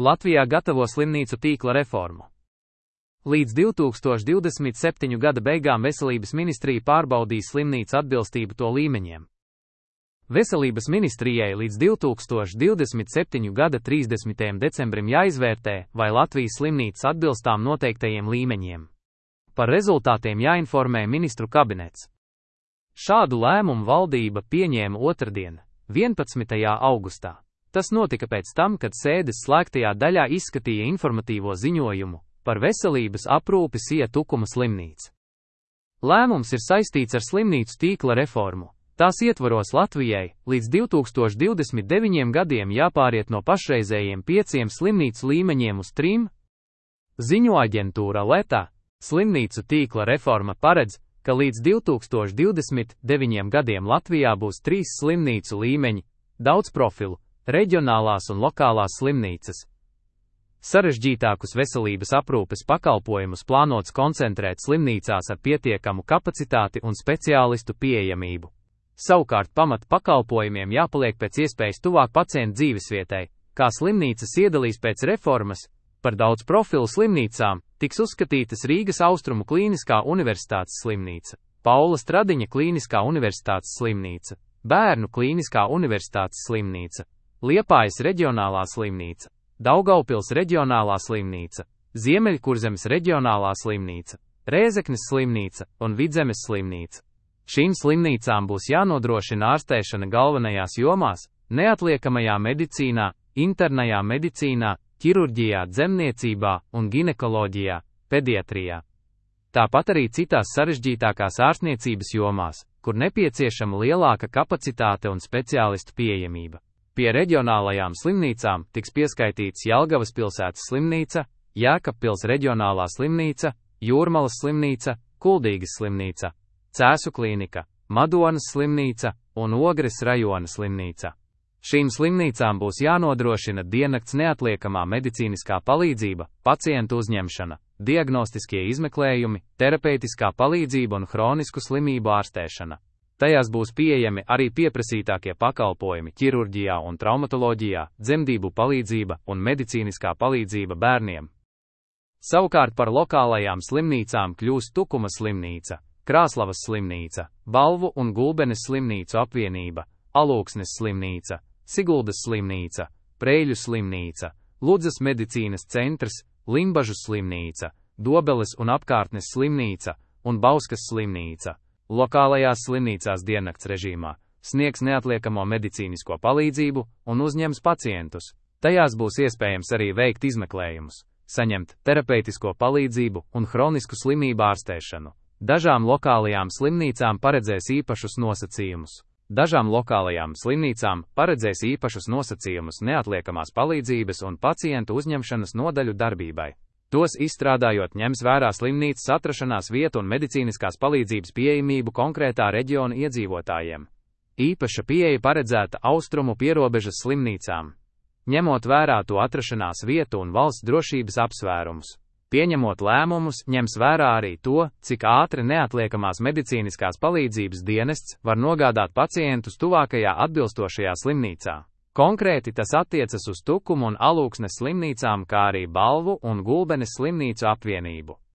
Latvijā gatavo slimnīcu tīkla reformu. Līdz 2027. gada beigām Veselības ministrija pārbaudīs slimnīcu atbilstību to līmeņiem. Veselības ministrijai līdz 2027. gada 30. decembrim jāizvērtē, vai Latvijas slimnīcas atbilstām noteiktajiem līmeņiem. Par rezultātiem jāinformē ministru kabinets. Šādu lēmumu valdība pieņēma otrdien, 11. augustā. Tas notika pēc tam, kad sēdes slēgtajā daļā izskatīja informatīvo ziņojumu par veselības aprūpi Sija Tukuma slimnīca. Lēmums ir saistīts ar slimnīcu tīkla reformu. Tās ietvaros Latvijai līdz 2029 gadiem jāpāriet no pašreizējiem 5 slimnīcu līmeņiem uz 3. Ziņo aģentūra Leta. Slimnīcu tīkla reforma paredz, ka līdz 2029 gadiem Latvijā būs 3 slimnīcu līmeņi - daudz profilu, reģionālās un lokālās slimnīcas. Sarežģītākus veselības aprūpes pakalpojumus plānots koncentrēt slimnīcās ar pietiekamu kapacitāti un speciālistu pieejamību. Savukārt pamat pakalpojumiem jāpaliek pēc iespējas tuvāk pacientu dzīvesvietai, kā slimnīcas iedalīs pēc reformas. Par daudz profilu slimnīcām tiks uzskatītas Rīgas Austrumu Klīniskā universitātes slimnīca, Paula Stradiņa Klīniskā universitātes slimnīca, Bērnu Klīniskā universitātes slimnīca, Liepājas reģionālā slimnīca, Daugavpils reģionālā slimnīca, Ziemeļkurzemes reģionālā slimnīca, Rēzeknes slimnīca un Vidzemes slimnīca. Šīm slimnīcām būs jānodrošina ārstēšana galvenajās jomās - neatliekamajā medicīnā, internajā medicīnā, ķirurģijā, dzemniecībā un ginekoloģijā, pediatrijā. Tāpat arī citās sarežģītākās ārstniecības jomās, kur nepieciešama lielāka kapacitāte un speciālistu pieejamība. Pie reģionālajām slimnīcām tiks pieskaitīts Jelgavas pilsētas slimnīca, Jēkabpils reģionālā slimnīca, Jūrmalas slimnīca, Kuldīgas slimnīca, Cēsu klīnika, Madonas slimnīca un Ogres rajona slimnīca. Šīm slimnīcām būs jānodrošina diennakts neatliekamā medicīniskā palīdzība, pacientu uzņemšana, diagnostiskie izmeklējumi, terapeitiskā palīdzība un hronisku slimību ārstēšana. Tajās būs pieejami arī pieprasītākie pakalpojumi ķirurģijā un traumatoloģijā, dzemdību palīdzība un medicīniskā palīdzība bērniem. Savukārt par lokālajām slimnīcām kļūs Tukuma slimnīca, Krāslavas slimnīca, Balvu un Gulbenes slimnīcu apvienība, Alūksnes slimnīca, Siguldas slimnīca, Preļu slimnīca, Ludzas medicīnas centrs, Limbažu slimnīca, Dobeles un apkārtnes slimnīca un Bauskas slimnīca. Lokālajās slimnīcās diennakts režīmā sniegs neatliekamo medicīnisko palīdzību un uzņems pacientus. Tajās būs iespējams arī veikt izmeklējumus, saņemt terapeitisko palīdzību un hronisku slimību ārstēšanu. Dažām lokālajām slimnīcām paredzēs īpašus nosacījumus neatliekamās palīdzības un pacientu uzņemšanas nodaļu darbībai. Tos izstrādājot ņems vērā slimnīcas atrašanās vietu un medicīniskās palīdzības pieejamību konkrētā reģiona iedzīvotājiem. Īpaša pieeja paredzēta austrumu pierobežas slimnīcām, ņemot vērā to atrašanās vietu un valsts drošības apsvērumus. Pieņemot lēmumus, ņems vērā arī to, cik ātri neatliekamās medicīniskās palīdzības dienests var nogādāt pacientus tuvākajā atbilstošajā slimnīcā. Konkrēti tas attiecas uz Tukumu un Alūksnes slimnīcām, kā arī Balvu un Gulbenes slimnīcu apvienību.